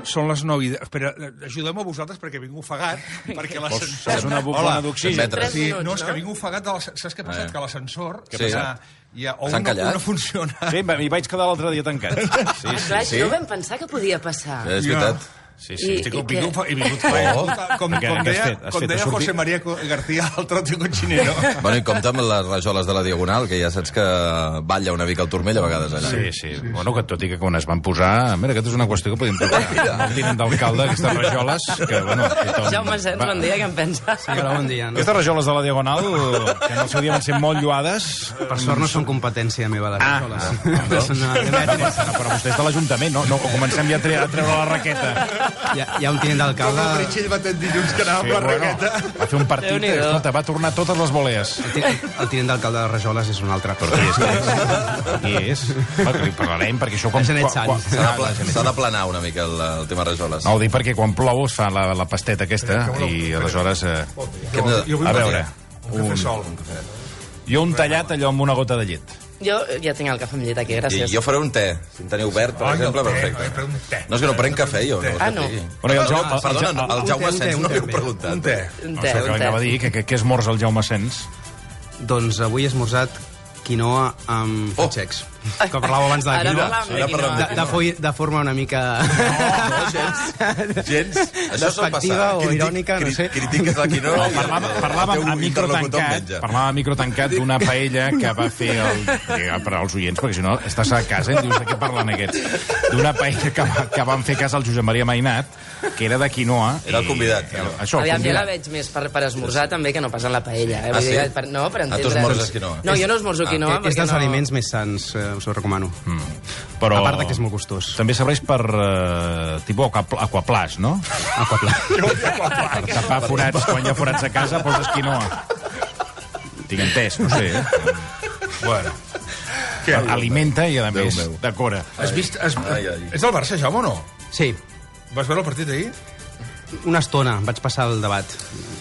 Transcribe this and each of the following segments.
Són les 9. Espera, ajudem a vosaltres perquè vinc ofegat, perquè l'ascensor... És una bufona d'oxigen. Sí, no, és que vinc ofegat de l'ascensor. Saps què ha passat? Que l'ascensor... S'han callat? No funciona. Sí, m'hi vaig quedar l'altre dia tancat. Clar, no vam pensar que podia passar. És veritat. Sí. He vingut com deia José María García, el trotio cochinero. Bueno, i compta amb les rajoles de la Diagonal, que ja saps que balla una mica el turmell a vegades allà. Sí. Bueno, que tot i que quan es van posar... Mira, aquesta és una qüestió que podem tocar. El tinent d'alcalde, aquestes rajoles... Que, bueno, Jaume Sens, bon dia, què en pensa? Sí, però bon dia. Aquestes rajoles de la Diagonal, que en el seu dia van ser molt lloades... Per sort no són competència meva, les rajoles. Però vostè és de l'Ajuntament, no? Comencem ja a treure la raqueta. Hi ha un tinent d'alcalde... Com el Meritxell va tenir dilluns que anava amb la raqueta. Va fer un partit, escolta, va tornar totes les volees. El tinent d'alcalde de Rajoles és un altre. Però qui és? Li parlarem, perquè això... S'ha d'aplanar una mica el tema rajoles. No, ho dic perquè quan plou es fa la pasteta aquesta i aleshores... A veure... Jo un tallat allò amb una gota de llet. Jo ja tinc el cafè amb llet aquí, gràcies. I jo faré un te, si en teniu verd, per exemple, perfecte. No, és que no prenc cafè, jo. No. Perdona, el Jaume Sens no li he preguntat. Un te. Això que anava a dir, que esmorza el Jaume Sens? Doncs avui he esmorzat quinoa amb fatxecs. Que parlàveu abans de la quinoa. De forma una mica... No, gens. Això sol passar. O irònica, no sé. Critiques la quinoa. Parlàvem a micro tancat d'una paella que va fer per als oients, perquè si no estàs a casa i dius de què parlen aquests. D'una paella que van fer cas al Josep Maria Mainat, que era de quinoa. Era el convidat. Aviam, jo la veig més per esmorzar també que no pas en la paella. Sí? No, per entendre... Tu esmorzes quinoa? No, jo no esmorzo quinoa. És dels aliments més sants, us ho recomano. Però a part que és molt gustós. També serveix per tipus aquaplàs, no? Aquaplàs. Per tapar forats, quan hi ha forats a casa, poses quinoa. Tinc entès, no sé. Bueno. Alimenta i, a més, decora. Has vist... Ets del Barça, Jaume, o no? Sí. Vas veure el partit ahir? Una estona, vaig passar el debat.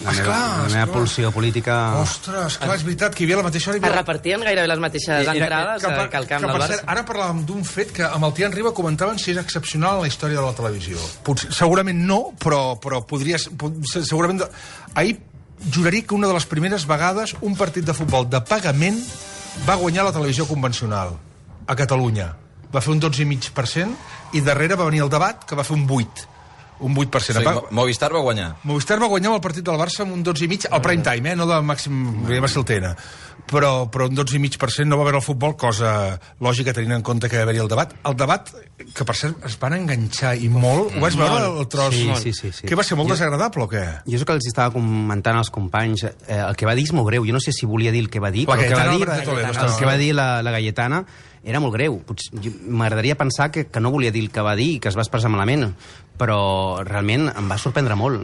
La meva pulsió política... Ostres, clar, és veritat que hi havia la mateixa hora... Es repartien gairebé les mateixes entrades que al camp del Barça. Ara parlàvem d'un fet que amb el Tian Riba comentaven si és excepcional en la història de la televisió. Segurament no, però podria... Segurament... Ahir juraria que una de les primeres vegades un partit de futbol de pagament va guanyar la televisió convencional a Catalunya. Va fer un 12,5% i darrere va venir el debat, que va fer un 8%. Un 8%. Movistar va guanyar. Movistar va guanyar amb el partit del Barça amb un 12,5%, al prime time, no de màxim, va ser el TN. Però un 12,5% no va haver el futbol, cosa lògica tenint en compte que va haver-hi el debat. El debat, que per cert es van enganxar i molt, ho vaig veure el tros? Sí. Que va ser molt desagradable o què? Jo és el que els estava comentant als companys. El que va dir és molt greu. Jo no sé si volia dir el que va dir, però el que va dir la Gayetana era molt greu. M'agradaria pensar que no volia dir el que va dir i que es va expressar malament, però realment em va sorprendre molt.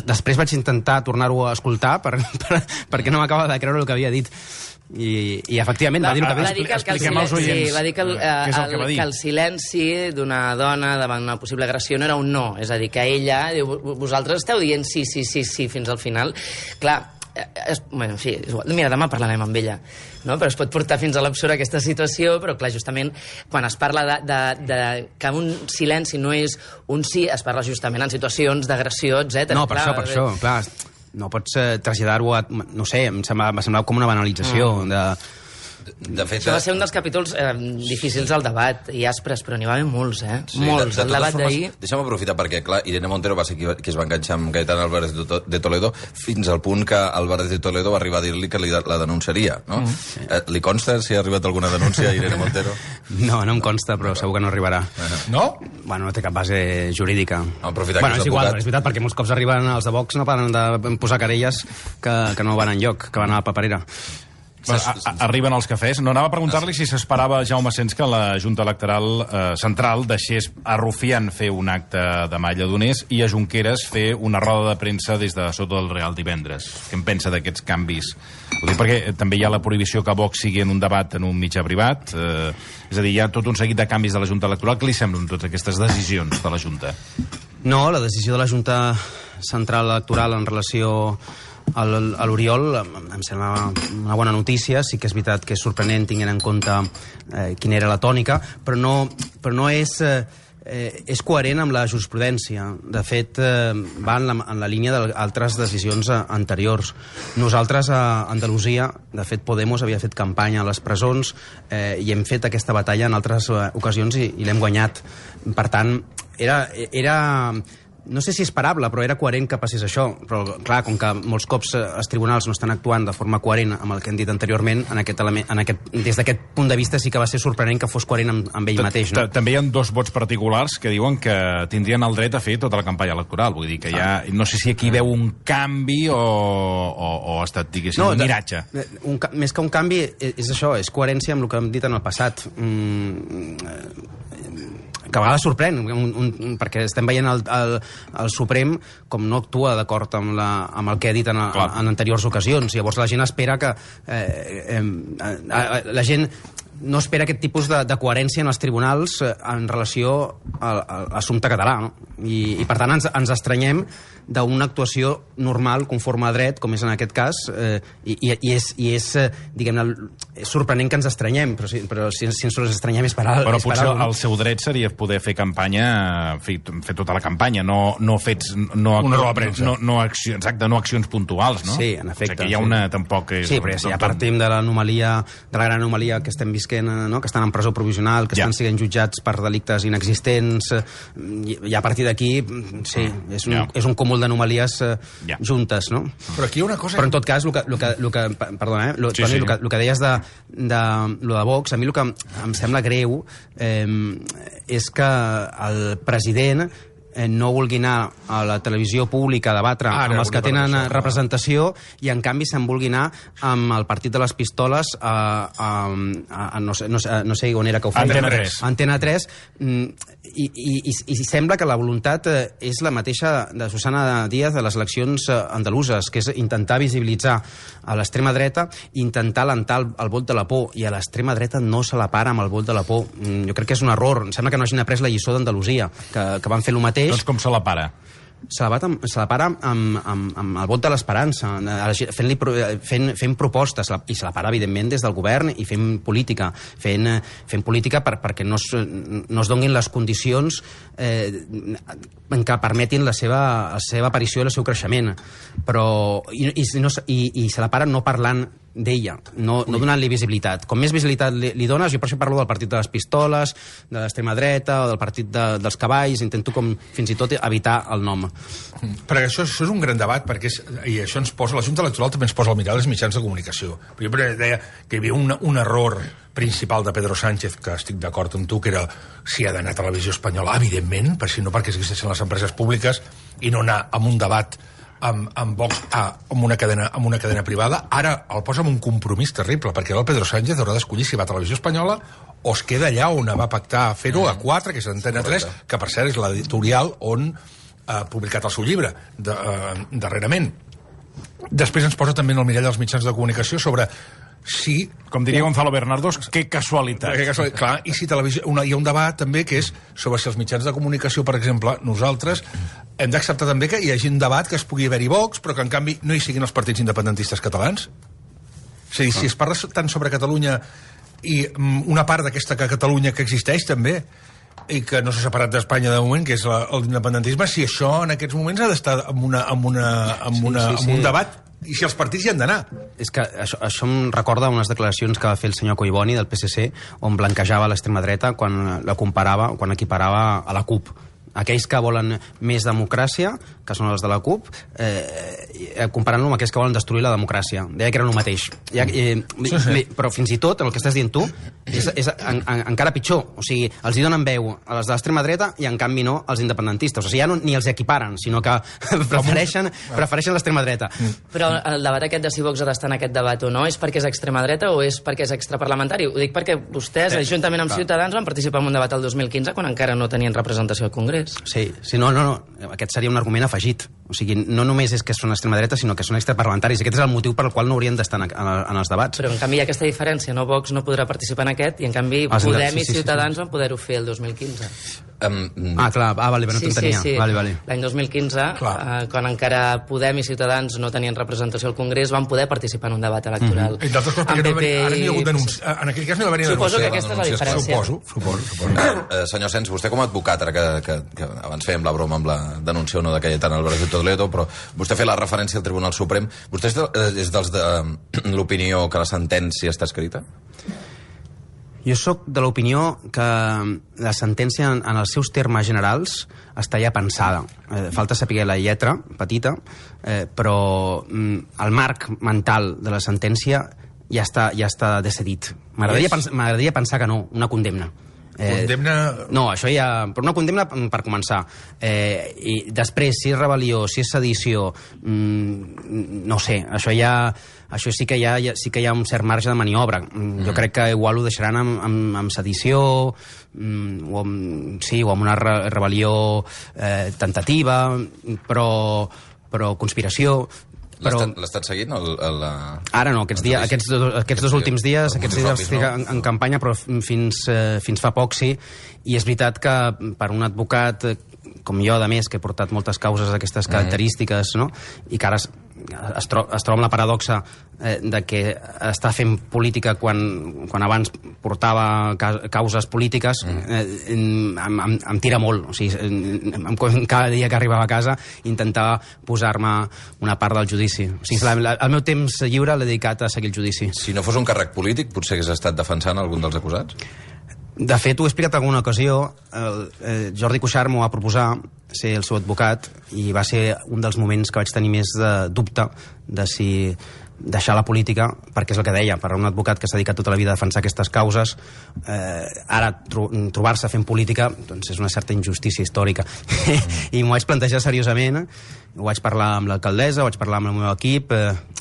Després vaig intentar tornar-ho a escoltar perquè no m'acaba de creure el que havia dit. I efectivament va dir el que va dir. Expliquem als oients. Va dir que el silenci d'una dona davant una possible agressió no era un no. És a dir, que ella, vosaltres esteu dient sí fins al final. Clar, bueno, sí, mira, demà parlarem amb ella, no? Però es pot portar fins a l'absurd aquesta situació, però clar, justament quan es parla de que un silenci no és un sí, es parla justament en situacions d'agressió, etc. No, per això, clar, no pots traslladar-ho a... No sé, em semblava com una banalització De fet, això va ser un dels capítols difícils al debat i aspres, però n'hi va haver molts, molts. El debat d'ahir... Deixa'm aprofitar perquè, clar, Irene Montero va ser qui es va enganxar amb Gaetán Álvarez de Toledo fins al punt que Álvarez de Toledo va arribar a dir-li que la denunciaria, no? Li consta si ha arribat alguna denúncia a Irene Montero? No em consta, però segur que no arribarà. No? Bueno, no té cap base jurídica. Bueno, és igual, és veritat, perquè molts cops arriben els de Vox, no paren de posar querelles que no van enlloc, que van a la paperera. Arriben els cafès. No, anava a preguntar-li si s'esperava Jaume Sens que la Junta Electoral Central deixés a Rufián fer un acte de mà lledoners i a Junqueras fer una roda de premsa des de sota del Real divendres. Què en pensa d'aquests canvis? Ho dic perquè també hi ha la prohibició que Vox sigui en un debat en un mitjà privat. És a dir, hi ha tot un seguit de canvis de la Junta Electoral. Què li semblen totes aquestes decisions de la Junta? No, la decisió de la Junta Central Electoral en relació a l'Oriol em sembla una bona notícia. Sí que és veritat que és sorprenent tinguent en compte quina era la tònica, però no és és coherent amb la jurisprudència. De fet, va en la línia d'altres decisions anteriors. Nosaltres, a Andalusia, de fet, Podemos havia fet campanya a les presons i hem fet aquesta batalla en altres ocasions i l'hem guanyat. Per tant, era no sé si esperable, però era coherent que passés això. Però, clar, com que molts cops els tribunals no estan actuant de forma coherent amb el que hem dit anteriorment, des d'aquest punt de vista sí que va ser sorprenent que fos coherent amb ell mateix. No? També hi ha 2 vots particulars que diuen que tindrien el dret a fer tota la campanya electoral. Vull dir que no sé si aquí veu un canvi o ha estat, diguéssim, un miratge. Més que un canvi, és això, és coherència amb el que hem dit en el passat. Que a vegades sorprèn, perquè estem veient el Suprem com no actua d'acord amb el que ha dit en anteriors ocasions. Llavors la gent espera que... la gent no espera aquest tipus de coherència en els tribunals en relació a l'assumpte català, no? I per tant ens estranyem d'una actuació normal, conforme a dret, com és en aquest cas, i és diguem-ne, és sorprenent que ens estranyem, però si ens estranyem és per alt. Però potser el seu dret seria poder fer campanya, fer tota la campanya, no accions puntuals, no? Sí, en efecte. O sigui que hi ha una, tampoc... Sí, però ja partim de l'anomalia, de la gran anomalia que estem visquent, no? Que estan en presó provisional, que estan sent jutjats per delictes inexistents, i a partir d'aquí, sí, és un cúmul d'anomalies juntes, no? Però aquí hi ha una cosa... Però en tot cas, perdona, Toni, el que deies de lo de Vox, a mi el que em sembla greu és que el president no vulgui anar a la televisió pública a debatre amb els que tenen representació i en canvi se'n vulgui anar amb el partit de les pistoles no sé on era que ho feia. Antena 3. I sembla que la voluntat és la mateixa de Susana Díaz de les eleccions andaluses, que és intentar visibilitzar a l'extrema dreta i intentar alentar el vot de la por, i a l'extrema dreta no se la para amb el vot de la por. Jo crec que és un error. Em sembla que no hagin après la lliçó d'Andalusia, que van fer el mateix. Doncs com se la para? Se la para amb el vot de l'esperança, fent propostes, i se la para, evidentment, des del govern i fent política, fent política perquè no es donin les condicions que permetin la seva aparició i el seu creixement. I se la para no parlant d'ella, no donant-li visibilitat. Com més visibilitat li dones, jo per això parlo del partit de les pistoles, de l'extrema dreta o del partit dels cavalls, intento com fins i tot evitar el nom. Perquè això és un gran debat, i això ens posa, la Junta Electoral també ens posa al mirall els mitjans de comunicació. Però jo deia que hi havia un error principal de Pedro Sánchez, que estic d'acord amb tu, que era si ha d'anar a Televisió Espanyola, evidentment, perquè existeixen les empreses públiques, i no anar amb un debat amb Vox amb una cadena privada. Ara el posa amb un compromís terrible, perquè el Pedro Sánchez haurà d'escollir si va a Televisió Espanyola o es queda allà on va pactar fer-ho, a 4, que és Antena 3, que per cert és l'editorial on ha publicat el seu llibre darrerament. Després ens posa també en el mirall dels mitjans de comunicació sobre si... Com diria Gonzalo Bernardos, que casualitat. Clar, i si televisió... Hi ha un debat també que és sobre si els mitjans de comunicació, per exemple, nosaltres hem d'acceptar també que hi hagi un debat que es pugui haver-hi Vox, però que en canvi no hi siguin els partits independentistes catalans. És a dir, si es parla tant sobre Catalunya i una part d'aquesta Catalunya que existeix també, i que no s'ha separat d'Espanya de moment, que és l'independentisme, si això en aquests moments ha d'estar amb un debat, i si els partits hi han d'anar. És que això em recorda unes declaracions que va fer el senyor Collboni del PSC, on blanquejava l'extrema dreta quan equiparava a la CUP. Aquells que volen més democràcia, que són els de la CUP, comparant-lo amb aquells que volen destruir la democràcia. Deia que era el mateix. Però fins i tot, el que estàs dient tu, és encara pitjor. O sigui, els hi donen veu a les de l'extrema dreta i en canvi no als independentistes. O sigui, ja ni els equiparen, sinó que prefereixen l'extrema dreta. Però el debat aquest de si Vox ha d'estar en aquest debat o no és perquè és extrema dreta o és perquè és extraparlamentari? Ho dic perquè vostès, juntament amb Ciutadans, van participar en un debat el 2015 quan encara no tenien representació al Congrés. Sí, no. Aquest seria un argument afegit. O sigui, no només és que són extrema dreta, sinó que són extraparlamentaris. Aquest és el motiu per el qual no haurien d'estar en els debats. Però, en canvi, hi ha aquesta diferència. No, Vox no podrà participar en aquest, i, en canvi, Podem i Ciutadans van poder-ho fer el 2015. Clar, vale, no t'entenia. Sí. L'any 2015, quan encara Podem i Ciutadans no tenien representació al Congrés, van poder participar en un debat electoral. I d'altres coses, perquè ara no hi ha hagut denúncia. En aquell cas no hi va haver denúncia. Suposo que aquesta és la diferència. Suposo. Senyor Sens, vostè com a advocat, ara que abans fèiem la broma amb la denúncia o no de Cayetana Álvarez de Toledo, però vostè fa la referència al Tribunal Suprem. Vostè és dels de l'opinió que la sentència està escrita? Jo sóc de l'opinió que la sentència, en els seus termes generals, està ja pensada. Falta saber la lletra, petita, però el marc mental de la sentència ja està decidit. M'agradaria pensar que no, una condemna. Condemna... No, això ja... Però una condemna per començar. I després, si és rebel·lió, si és sedició, no sé, això sí que hi ha un cert marge de maniobra. Jo crec que igual ho deixaran amb sedició, o amb una rebel·lió tentativa, però conspiració... L'estat seguint? Ara no, aquests dos últims dies estic en campanya, però fins fa poc sí, i és veritat que per un advocat com jo, a més, que he portat moltes causes d'aquestes característiques, no? I que ara es troba amb la paradoxa de que està fent política quan abans portava causes polítiques, em tira molt. O sigui, cada dia que arribava a casa intentava posar-me una part del judici. O sigui, el meu temps lliure l'he dedicat a seguir el judici. Si no fos un càrrec polític, potser hagués estat defensant algun dels acusats? De fet, ho he explicat en alguna ocasió. Jordi Cuixart m'ho va proposar, ser el seu advocat, i va ser un dels moments que vaig tenir més de dubte de si deixar la política, perquè és el que deia, per a un advocat que s'ha dedicat tota la vida a defensar aquestes causes, ara trobar-se fent política doncs és una certa injustícia històrica. I m'ho vaig plantejar seriosament, ho vaig parlar amb l'alcaldessa, ho vaig parlar amb el meu equip,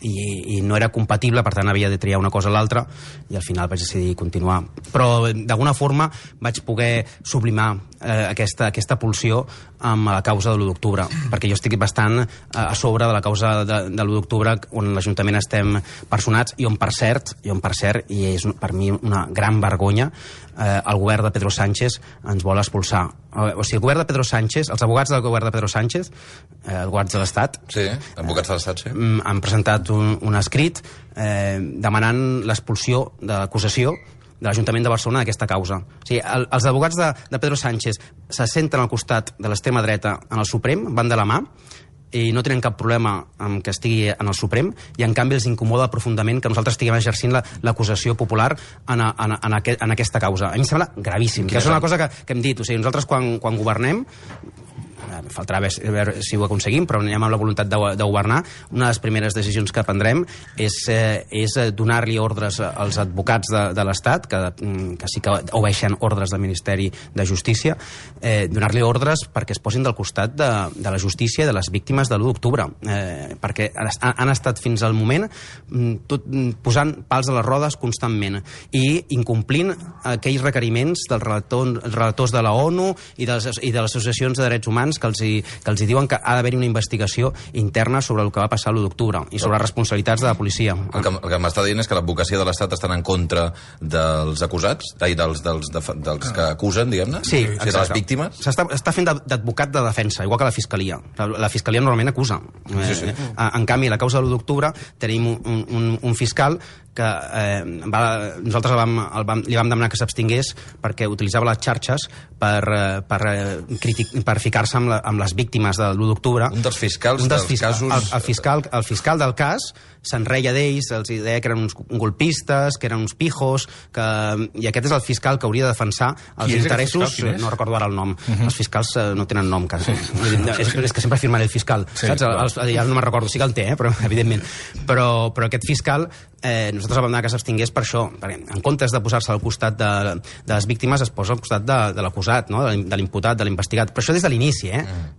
i no era compatible, per tant havia de triar una cosa o l'altra, i al final vaig decidir continuar. Però d'alguna forma vaig poder sublimar aquesta pulsió amb la causa de l'1 d'octubre, perquè jo estic bastant a sobre de la causa de l'1 d'octubre, on l'Ajuntament estem personats, i on per cert, i és per mi una gran vergonya, el govern de Pedro Sánchez ens vol expulsar. O sigui, el govern de Pedro Sánchez, els advocats del govern de Pedro Sánchez, advocats de l'Estat, advocats de l'Estat, sí, han presentat un escrit demanant l'expulsió de l'acusació de l'Ajuntament de Barcelona d'aquesta causa. O sigui, els advocats de Pedro Sánchez se senten al costat de l'extrema dreta en el Suprem, van de la mà, i no tenen cap problema amb que estigui en el Suprem, i en canvi els incomoda profundament que nosaltres estiguem exercint l'acusació popular en aquesta causa. A mi em sembla gravíssim, que és una cosa que hem dit. O sigui, nosaltres quan governem, faltarà veure si ho aconseguim, però anem amb la voluntat de governar, una de les primeres decisions que prendrem és donar-li ordres als advocats de l'Estat, que sí que obeeixen ordres del Ministeri de Justícia, donar-li ordres perquè es posin del costat de la justícia i de les víctimes de l'1 d'octubre, perquè han estat fins al moment posant pals a les rodes constantment i incomplint aquells requeriments dels relators de la ONU i de les associacions de drets humans que els diuen que ha d'haver-hi una investigació interna sobre el que va passar l'1 d'octubre i sobre les responsabilitats de la policia. El que m'està dient és que l'advocacia de l'Estat estan en contra dels acusats, dels que acusen, diguem-ne? Sí, exacte. De les víctimes? Està fent d'advocat de defensa, igual que la Fiscalia. La Fiscalia normalment acusa. Sí. En canvi, a la causa de l'1 d'octubre tenim un fiscal que nosaltres li vam demanar que s'abstingués perquè utilitzava les xarxes per ficar-se amb les víctimes de l'1 d'octubre. Un dels fiscals dels casos... El fiscal del cas se'n reia d'ells, els deia que eren uns golpistes, que eren uns pijos, i aquest és el fiscal que hauria de defensar els interessos... No recordo ara el nom. Els fiscals no tenen nom, quasi. És que sempre firmaré el fiscal. Ja no me'n recordo, sí que el té, però evidentment. Però aquest fiscal, nosaltres vam demanar que s'abstingués per això, perquè en comptes de posar-se al costat de les víctimes es posa al costat de l'acusat, de l'imputat, de l'investigat. Però això des de l'inici,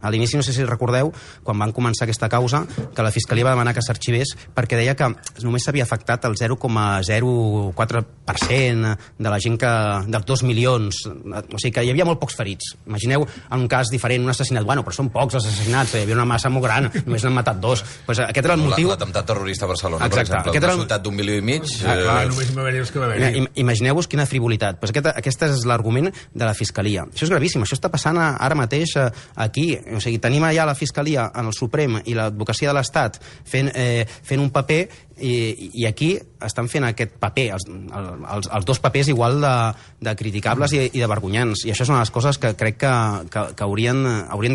A l'inici, no sé si recordeu, quan van començar aquesta causa, que la Fiscalia va demanar que s'arxivés perquè deia que només s'havia afectat el 0,04% de la gent dels 2 milions. O sigui que hi havia molt pocs ferits. Imagineu en un cas diferent, un assassinat. Bueno, però són pocs els assassinats, hi havia una massa molt gran, només n'han matat 2. Pues aquest era el motiu... L'atemptat terrorista a Barcelona, exacte, per exemple. Una ciutat d'1,5 milions. Només va haver-hi els que va haver-hi. Imagineu-vos quina frivolitat. Pues aquest és l'argument de la Fiscalia. Això és gravíssim, això està passant ara mateix aquí. O sigui, tenim allà la Fiscalia en el Suprem i l'Advocacia de l'Estat fent un paper i aquí estan fent aquest paper, els dos papers igual de criticables i de vergonyants. I això és una de les coses que crec que haurien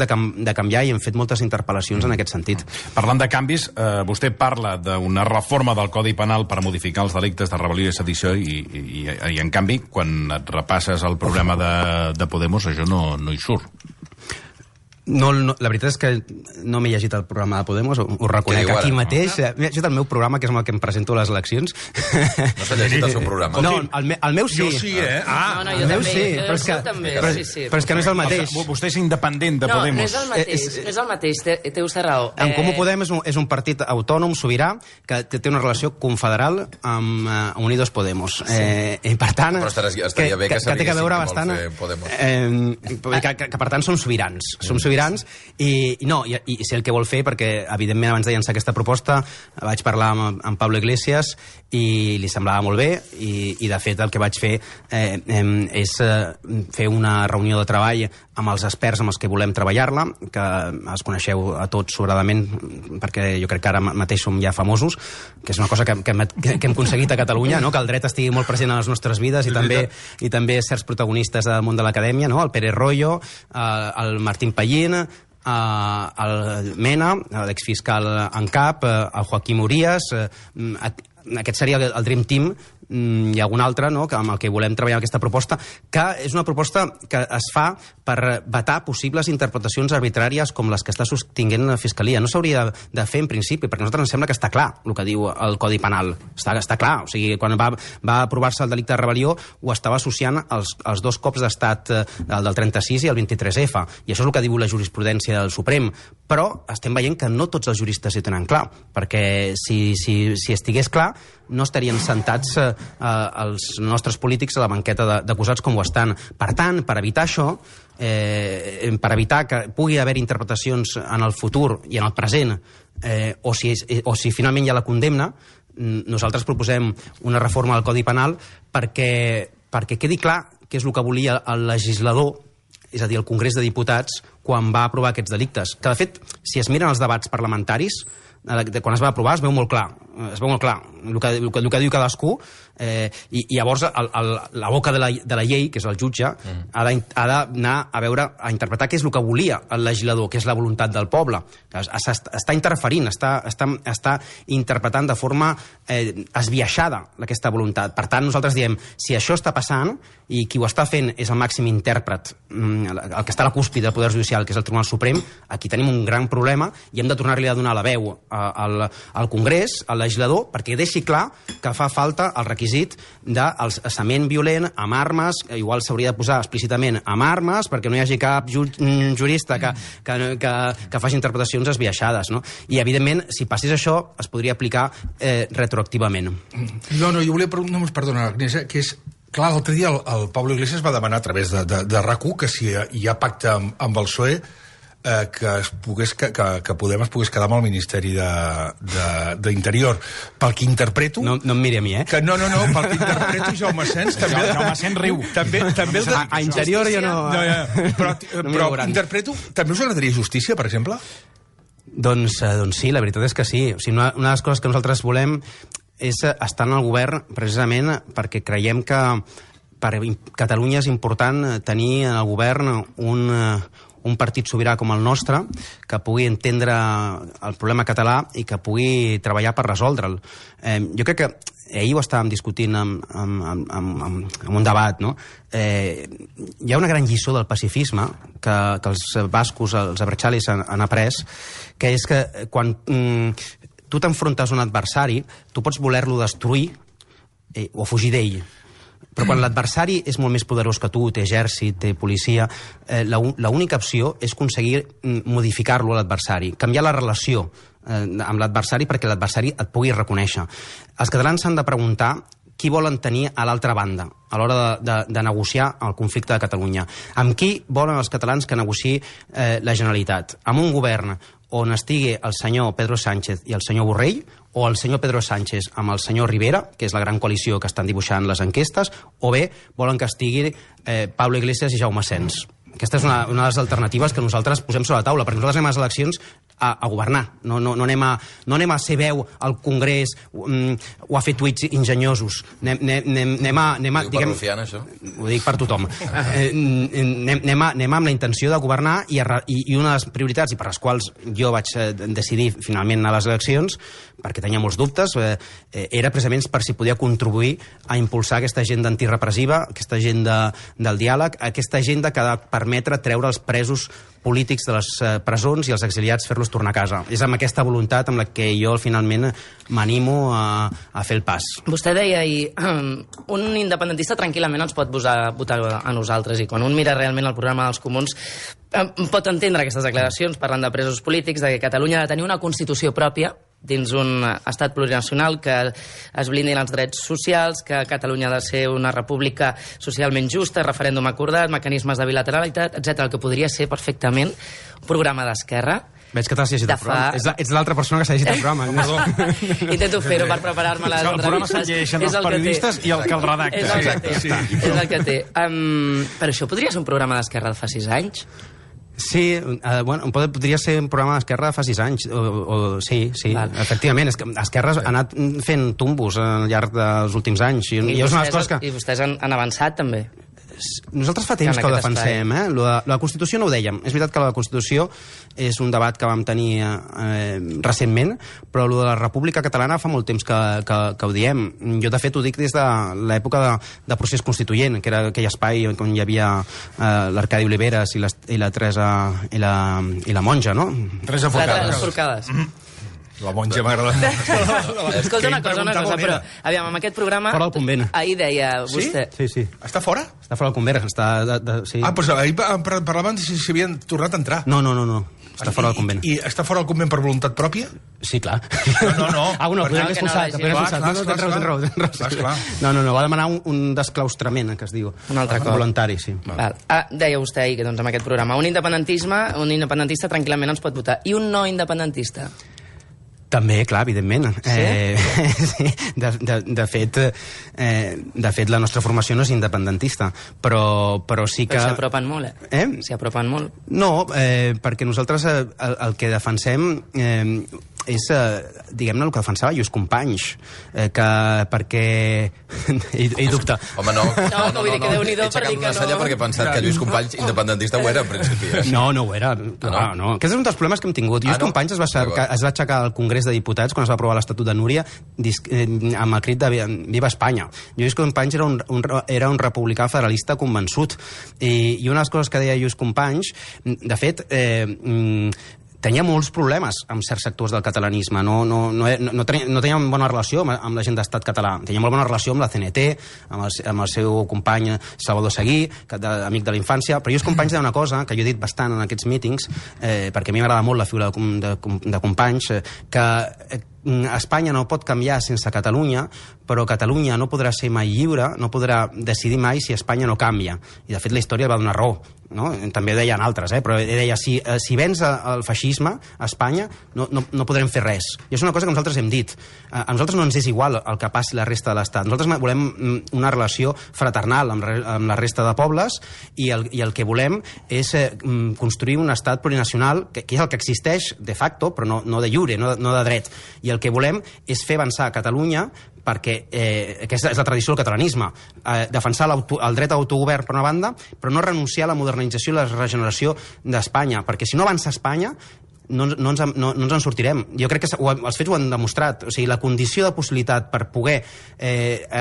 de canviar, i hem fet moltes interpel·lacions en aquest sentit. Parlant de canvis, vostè parla d'una reforma del Codi Penal per modificar els delictes de rebel·lió i sedició i en canvi, quan et repasses el programa de Podemos, això no hi surt. No, la veritat és que no m'he llegit el programa de Podemos, ho reconec aquí mateix. M'he llegit el meu programa, que és amb el que em presento a les eleccions. No s'ha llegit el seu programa? No, el meu sí. Jo sí, eh? No, el meu sí, però és que no és el mateix. Vostè és independent de Podemos. No és el mateix, té vostè raó. En Comú Podem és un partit autònom, sobirà, que té una relació confederal amb Unidos Podemos. I per tant... Però estaria bé que té que veure bastant... Que per tant som sobirans. Som sobirans i sé el que vol fer, perquè evidentment abans de llançar aquesta proposta vaig parlar amb Pablo Iglesias i li semblava molt bé, i de fet el que vaig fer és fer una reunió de treball amb els experts amb els que volem treballar-la, que els coneixeu a tots sobradament, perquè jo crec que ara mateix som ja famosos, que és una cosa que hem aconseguit a Catalunya, no? Que el dret estigui molt present a les nostres vides, i també certs protagonistes del món de l'acadèmia, no? El Pere Royo, el Martín Pallín, el Mena, l'exfiscal en cap, el Joaquim Urías. Aquest seria el Dream Team. Hi ha algun altre, no?, amb el que volem treballar aquesta proposta, que és una proposta que es fa per vetar possibles interpretacions arbitràries com les que està sostinguent la Fiscalia. No s'hauria de fer en principi, perquè a nosaltres ens sembla que està clar el que diu el Codi Penal. Està clar. O sigui, quan va aprovar-se el delicte de rebel·lió, ho estava associant als dos cops d'estat, el del 36 i el 23F. I això és el que diu la jurisprudència del Suprem. Però estem veient que no tots els juristes hi tenen clar, perquè si estigués clar, no estarien sentats els nostres polítics a la banqueta d'acusats com ho estan. Per tant, per evitar això, per evitar que pugui haver interpretacions en el futur i en el present, o si finalment hi ha la condemna, nosaltres proposem una reforma del Codi Penal perquè quedi clar què és el que volia el legislador, és a dir, el Congrés de Diputats, quan va aprovar aquests delictes. Que, de fet, si es miren els debats parlamentaris, quan es va aprovar es veu molt clar el que diu cadascú, i llavors la boca de la llei, que és el jutge, ha d'anar a interpretar què és el que volia el legislador, que és la voluntat del poble. Està interferint, està interpretant de forma esbiaixada aquesta voluntat. Per tant, nosaltres diem, si això està passant i qui ho està fent és el màxim intèrpret, el que està a la cúspide del Poder Judicial, que és el Tribunal Suprem, aquí tenim un gran problema i hem de tornar-li a donar la veu al Congrés, al legislador, perquè deixi clar que fa falta el requisit del cessament violent amb armes, igual s'hauria de posar explícitament amb armes, perquè no hi hagi cap jurista que faci interpretacions esbiaixades, no? I, evidentment, si passés això, es podria aplicar retroactivament. No, jo volia preguntar, perdona, Agnès, que és... Clar, l'altre dia el Pablo Iglesias va demanar a través de RAC1 que si hi ha pacte amb el PSOE, que Podem es pogués quedar amb el Ministeri d'Interior. Pel que interpreto... No em miri a mi, eh? No, pel que interpreto, Jaume Sens... Jaume Sens riu. També a Interior jo no... Però interpreto... També us agradaria justícia, per exemple? Doncs sí, la veritat és que sí. O sigui, una de les coses que nosaltres volem és estar en el govern precisament perquè creiem que per Catalunya és important tenir en el govern un partit sobirà com el nostre, que pugui entendre el problema català i que pugui treballar per resoldre'l. Jo crec que ahir ho estàvem discutint en un debat, no? Hi ha una gran lliçó del pacifisme que els bascos, els abertxalis han après, que és que quan tu t'enfrontes a un adversari, tu pots voler-lo destruir o fugir d'ell. Però quan l'adversari és molt més poderós que tu, té exèrcit, té policia, l'única opció és aconseguir modificar-lo a l'adversari, canviar la relació amb l'adversari perquè l'adversari et pugui reconèixer. Els catalans s'han de preguntar qui volen tenir a l'altra banda a l'hora de negociar el conflicte de Catalunya. Amb qui volen els catalans que negociï la Generalitat? Amb un govern on estigui el senyor Pedro Sánchez i el senyor Borrell, o el senyor Pedro Sánchez amb el senyor Rivera, que és la gran coalició que estan dibuixant les enquestes, o bé volen que estigui Pablo Iglesias i Jaume Asens. Aquesta és una de les alternatives que nosaltres posem sobre la taula, perquè nosaltres anem a les eleccions a governar, no anem a ser veu al Congrés o a fer tuits enginyosos. Anem a... Ho diu per Rufián, això? Ho dic per tothom. Anem amb la intenció de governar i una de les prioritats i per les quals jo vaig decidir finalment anar a les eleccions, perquè tenia molts dubtes, era precisament per si podia contribuir a impulsar aquesta agenda antirepressiva, aquesta agenda del diàleg, aquesta agenda que ha de permetre treure els presos polítics de les presons i els exiliats fer-los tornar a casa. És amb aquesta voluntat amb la que jo finalment m'animo a fer el pas. Vostè deia ahir, un independentista tranquil·lament ens pot votar a nosaltres, i quan un mira realment el programa dels comuns pot entendre aquestes declaracions parlant de presos polítics, de que Catalunya ha de tenir una Constitució pròpia dins un estat plurinacional, que es blindin els drets socials, que Catalunya ha de ser una república socialment justa, referèndum acordat, mecanismes de bilateralitat, etc. El que podria ser perfectament un programa d'esquerra. Veig que t'has llegit el programa. Ets l'altra persona que s'ha llegit el programa. Intento fer-ho per preparar-me les entrevistes. El programa se'l llegeixen els periodistes i el que el redacta. És el que té. Però això podria ser un programa d'esquerra de fa 6 anys? Sí, bueno, podria ser un programa d'Esquerra de fa 6 anys. Sí, efectivament. És que Esquerra ha anat fent tumbos al llarg dels últims anys. I vostès han avançat, també. Nosaltres fa temps que ho defensem, La Constitució no ho dèiem. És veritat que la Constitució és un debat que vam tenir recentment, però lo de la República Catalana fa molt temps que ho diem. Jo, de fet, ho dic des de l'època de procés constituent, que era aquell espai on hi havia l'Arcadi Oliveres i la Teresa i la monja, no? Teresa Forcades. La monja m'agrada. Escolta una cosa, però aviam, amb aquest programa... Fora del convent. Ahir deia vostè... Sí. Està fora? Està fora del convent. Sí. Doncs ahir parlaven si havien tornat a entrar. No. Està fora del convent. I està fora del convent per voluntat pròpia? Sí, clar. No. Podem expulsar. Tens raó. No, va demanar un desclaustrament, que es diu. Un altre cop. Voluntari, sí. Deia vostè ahir que amb aquest programa un independentista tranquil·lament ens pot votar. I un no independentista? També, clar, evidentment. Sí? De fet, la nostra formació no és independentista, però sí que... Però s'hi apropen molt, S'hi apropen molt. No, perquè nosaltres el que defensem és, diguem-ne, el que defensava Lluís Companys, perquè... Ell dubta. Home, no. No, vull dir que Déu-n'hi-do per dir que no. Perquè he pensat que Lluís Companys independentista ho era, en principi. No ho era. No. Aquest és un dels problemes que hem tingut. Lluís Companys es va aixecar al Congrés de Diputats quan es va aprovar l'Estatut de Núria amb el crit de Viva Espanya. Lluís Companys era un republicà federalista convençut. I una de les coses que deia Lluís Companys, de fet, tenia molts problemes amb certs sectors del catalanisme. No tenia bona relació amb la gent d'Estat català. Tenia molt bona relació amb la CNT, amb el seu company Salvador Seguí, amic de la infància. Però Lluís Companys deia una cosa que jo he dit bastant en aquests mítings, perquè a mi m'agrada molt la figura de Companys, que Espanya no pot canviar sense Catalunya, però Catalunya no podrà ser mai lliure, no podrà decidir mai si Espanya no canvia. I, de fet, la història va donar raó. No? També ho deien altres, però deia, si vens el feixisme a Espanya, no podrem fer res. I és una cosa que nosaltres hem dit. A nosaltres no ens és igual el que passi la resta de l'Estat. Nosaltres volem una relació fraternal amb la resta de pobles i el que volem és construir un estat plurinacional, que és el que existeix de facto, però no de jure, no de dret. I el que volem és fer avançar Catalunya, perquè aquesta és la tradició del catalanisme, defensar el dret a autogovern per una banda, però no renunciar a la modernització i la regeneració d'Espanya, perquè si no avança Espanya no ens en sortirem. Jo crec que els fets ho han demostrat. O sigui, la condició de possibilitat per poder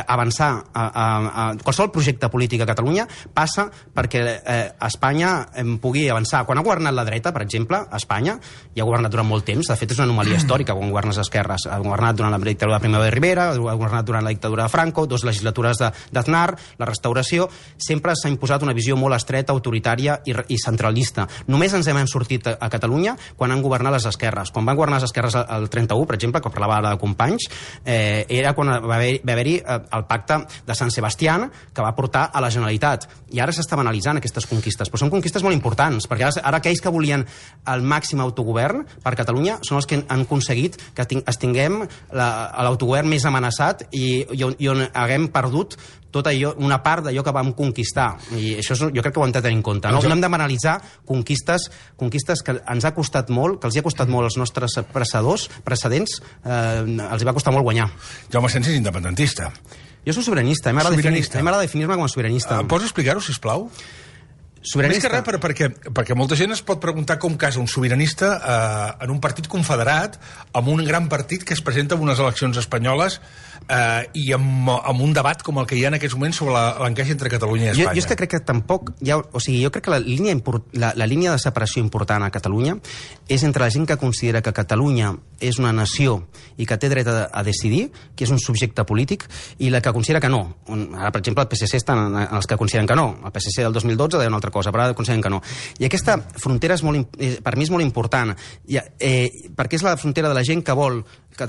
avançar a qualsevol projecte polític a Catalunya passa perquè Espanya pugui avançar. Quan ha governat la dreta, per exemple, a Espanya, i ha governat durant molt temps, de fet és una anomalia històrica quan governes esquerres. Ha governat durant la dictadura de Primo de Rivera, ha governat durant la dictadura de Franco, 2 legislatures d'Aznar, la restauració, sempre s'ha imposat una visió molt estreta, autoritària i centralista. Només ens hem sortit a Catalunya quan han governat les esquerres. Quan van governar les esquerres el 31, per exemple, que parlava ara de Companys, era quan va haver-hi el pacte de Sant Sebastián, que va portar a la Generalitat. I ara s'estaven analitzant aquestes conquistes, però són conquistes molt importants, perquè ara aquells que volien el màxim autogovern per Catalunya són els que han aconseguit que tinguem l'autogovern més amenaçat i on haguem perdut tot allò, una part d'allò que vam conquistar. I això jo crec que ho hem de tenir en compte. No hem d'analitzar conquistes que ens ha costat molt, que els hi ha costat molt als nostres precedents, els hi va costar molt guanyar. Jaume Asens és independentista. Jo soc sobiranista, m'agrada definir-me com a sobiranista. Pots explicar-ho, sisplau? Més que res, perquè molta gent es pot preguntar com casa un sobiranista en un partit confederat, amb un gran partit que es presenta en unes eleccions espanyoles i amb un debat com el que hi ha en aquests moments sobre l'encaix entre Catalunya i Espanya. Jo és que crec que tampoc jo crec que la línia de separació important a Catalunya és entre la gent que considera que Catalunya és una nació i que té dret a decidir, que és un subjecte polític, i la que considera que no. Ara, per exemple, el PSC estan els que consideren que no. El PSC del 2012 deia una altra cosa, però ara consideren que no. I aquesta frontera per mi és molt important, perquè és la frontera de la gent que vol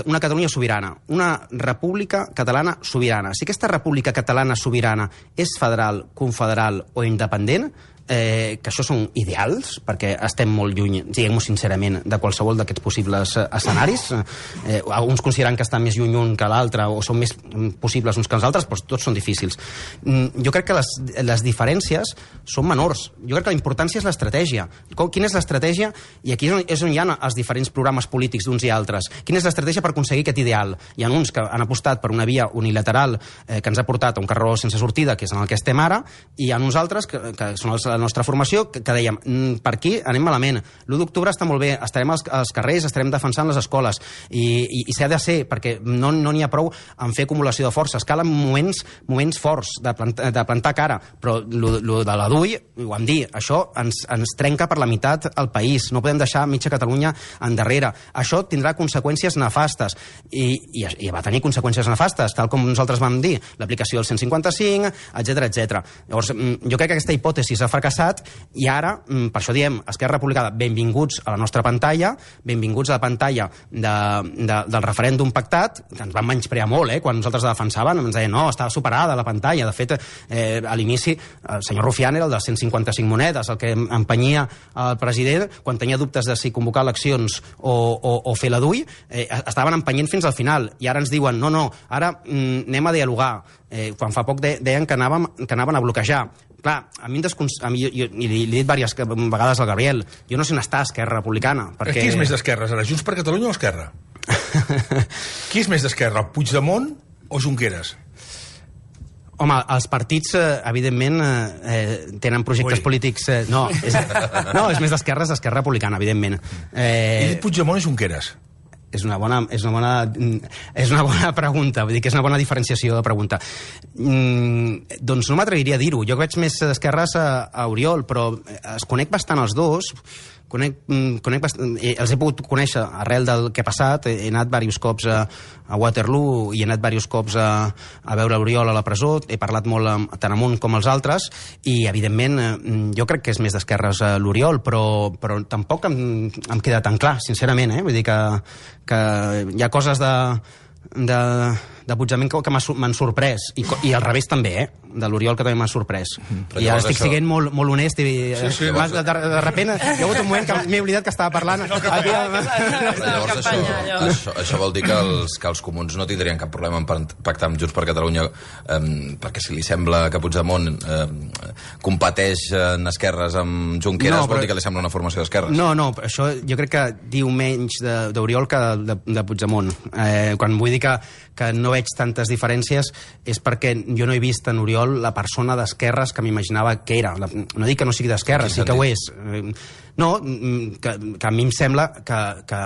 una Catalunya sobirana, una república catalana sobirana. Si aquesta república catalana sobirana és federal, confederal o independent, que això són ideals, perquè estem molt lluny, diguem-ho sincerament, de qualsevol d'aquests possibles escenaris. Alguns consideren que estan més lluny un que l'altre, o són més possibles uns que els altres, però tots són difícils. Jo crec que les diferències són menors. Jo crec que la importància és l'estratègia. Quina és l'estratègia? I aquí és on hi ha els diferents programes polítics d'uns i altres. Quina és l'estratègia per aconseguir aquest ideal? Hi ha uns que han apostat per una via unilateral que ens ha portat a un carreró sense sortida, que és en el que estem ara, i hi ha uns altres que són la nostra formació, que dèiem, per aquí anem malament. L'1 d'octubre està molt bé, estarem als carrers, estarem defensant les escoles, i s'ha de ser, perquè no n'hi ha prou en fer acumulació de forces. Calen moments forts de plantar cara, però lo de la DUI, ho vam dir, això ens trenca per la meitat el país. No podem deixar mitja Catalunya endarrere. Això tindrà conseqüències nefastes, i va tenir conseqüències nefastes, tal com nosaltres vam dir, l'aplicació del 155, etc. Llavors, jo crec que aquesta hipòtesi s'ha fracassat, i ara, per això diem, Esquerra Republicana, benvinguts a la nostra pantalla, benvinguts a la pantalla del referèndum pactat, que ens van menysprear molt, quan nosaltres la defensaven, ens deien, no, estava superada la pantalla. De fet, a l'inici, el senyor Rufián era el dels 155 monedes, el que empenyia el president quan tenia dubtes de si convocar eleccions o fer la DUI, estaven empenyent fins al final, i ara ens diuen, no, ara anem a dialogar. Quan fa poc deien que anaven a bloquejar. Clar, a mi jo li he dit diverses vegades al Gabriel, jo no sé on està Esquerra Republicana. Qui és més d'esquerres ara, Junts per Catalunya o Esquerra? Qui és més d'esquerra, Puigdemont o Junqueras? Home, els partits, evidentment, tenen projectes polítics... No, és més d'esquerres, Esquerra Republicana, evidentment. He dit Puigdemont o Junqueras? És una bona pregunta, vull dir que és una bona diferenciació de pregunta. Doncs no m'atreviria a dir-ho. Jo veig més d'esquerres a Oriol, però es conec bastant els dos. Els he pogut conèixer arrel del que ha passat. He anat diversos cops a Waterloo i he anat diversos cops a veure l'Oriol a la presó. He parlat molt tant amb un com els altres i, evidentment, jo crec que és més d'esquerres l'Oriol, però tampoc em queda tan clar, sincerament. Vull dir que hi ha coses de Puigdemont que m'han sorprès, i al revés també, de l'Oriol, que també m'ha sorprès. I ara estic sent molt honest i de repent hi ha hagut un moment que m'he oblidat que estava parlant. Llavors això vol dir que els comuns no tindrien cap problema en pactar amb Junts per Catalunya, perquè si li sembla que Puigdemont competeix en esquerres amb Junqueras, vol dir que li sembla una formació d'esquerres. No, això jo crec que diu menys d'Oriol que de Puigdemont. Quan vull dir que no veig tantes diferències és perquè jo no he vist en Oriol la persona d'esquerres que m'imaginava que era. No dic que no sigui d'esquerres, sí que ho és. No, que a mi em sembla que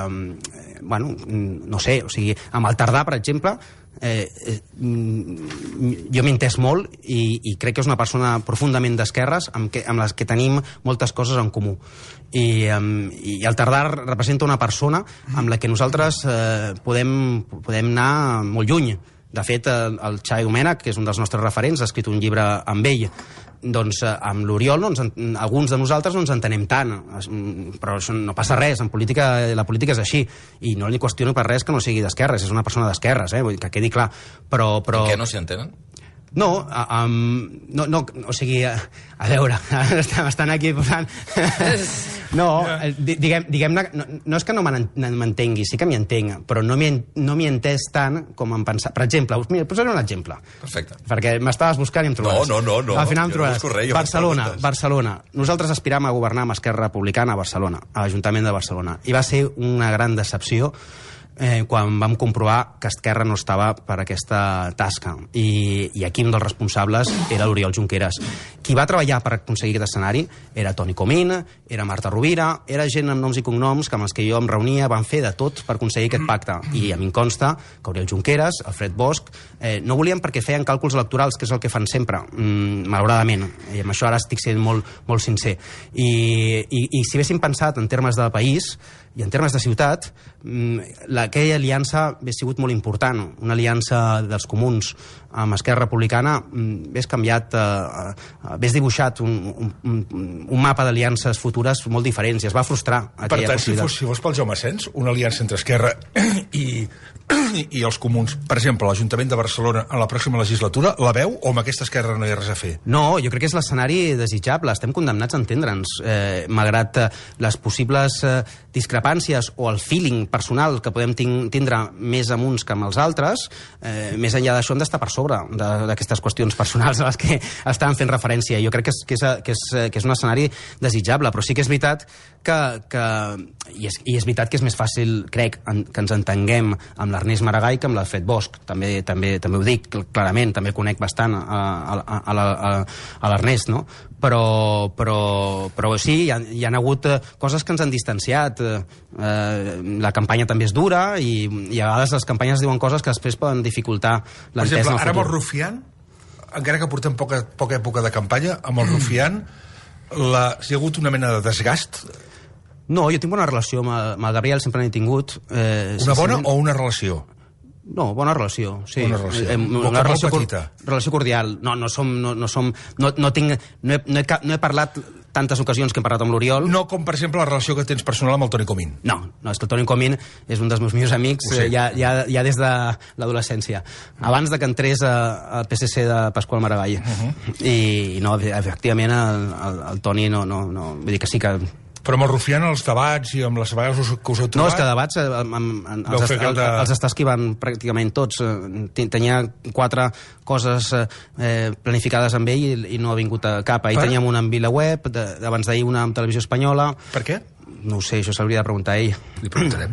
bueno, no sé, o sigui, amb el Tardà, per exemple, jo m'he entès molt i crec que és una persona profundament d'esquerres amb les que tenim moltes coses en comú. I el Tardà representa una persona amb la que nosaltres podem anar molt lluny. De fet, el Xavi Domènech, que és un dels nostres referents, ha escrit un llibre amb ell doncs amb l'Oriol alguns de nosaltres no ens entenem tant, però això no passa res, en política la política és així, i no li qüestiono per res que no sigui d'esquerres, és una persona d'esquerres, vull dir que quedi clar, però... Per què no s'hi entenen? No, o sigui, a veure, estan aquí posant... No, diguem-ne, no és que no m'entengui, sí que m'hi entenc, però no m'hi he entès tant com em pensava. Per exemple, mira, posaré un exemple. Perfecte. Perquè m'estaves buscant i em trobaràs. No. Al final em trobaràs. Barcelona. Nosaltres aspiram a governar amb Esquerra Republicana a Barcelona, a l'Ajuntament de Barcelona. I va ser una gran decepció quan vam comprovar que Esquerra no estava per aquesta tasca. I aquí un dels responsables era l'Oriol Junqueras. Qui va treballar per aconseguir aquest escenari era Toni Comín, era Marta Rovira, era gent amb noms i cognoms que amb els que jo em reunia, van fer de tot per aconseguir aquest pacte. I a mi em consta que Oriol Junqueras, Alfred Bosch, no volien perquè feien càlculs electorals, que és el que fan sempre, malauradament. I amb això ara estic sent molt, molt sincer. I si haguéssim pensat en termes de país i en termes de ciutat, aquella aliança hauria sigut molt important. Una aliança dels comuns amb Esquerra Republicana hauria canviat, hauria dibuixat un mapa d'aliances futures molt diferents i es va frustrar aquella possibilitat. Per tant, si fos pel Jaume Asens, una aliança entre Esquerra i els comuns, per exemple, l'Ajuntament de Barcelona en la pròxima legislatura, la veu o amb aquesta Esquerra no hi ha res a fer? No, jo crec que és l'escenari desitjable. Estem condemnats a entendre'ns, malgrat les possibles discrepàncies o el feeling personal que podem tindre més amb uns que amb els altres, més enllà d'això hem d'estar per sobre d'aquestes qüestions personals a les que estàvem fent referència. Jo crec que és un escenari desitjable, però sí que és veritat i és veritat que és més fàcil, crec, que ens entenguem amb l'Ernest Maragall que amb l'Alfred Bosch. També ho dic clarament, també conec bastant a l'Ernest, no? Però sí, hi ha hagut coses que ens han distanciat. La campanya també és dura i a vegades les campanyes diuen coses que després poden dificultar l'entesa. Per exemple, ara amb el Rufián, encara que portem poca època de campanya, amb el Rufián hi ha hagut una mena de desgast? No, jo tinc bona relació amb el Gabriel, sempre n'he tingut. Una bona o una relació? No, bona relació, sí. Bona relació. Una relació petita. Relació cordial. No he parlat tantes ocasions que hem parlat amb l'Oriol. No com, per exemple, la relació que tens personal amb el Toni Comín. No, és que el Toni Comín és un dels meus millors amics ja des de l'adolescència. Abans de que entrés al PSC de Pasqual Maragall. I no, efectivament, el Toni no... Vull dir que sí que... Però amb el Rufián, els debats i amb les vegades que us heu trobat... No, és que debats els està esquivant pràcticament tots. Tenia 4 coses planificades amb ell i no ha vingut a cap. Ahir teníem una amb VilaWeb, abans d'ahir una amb Televisió Espanyola... Per què? No ho sé, això s'hauria de preguntar a ell. Li preguntarem.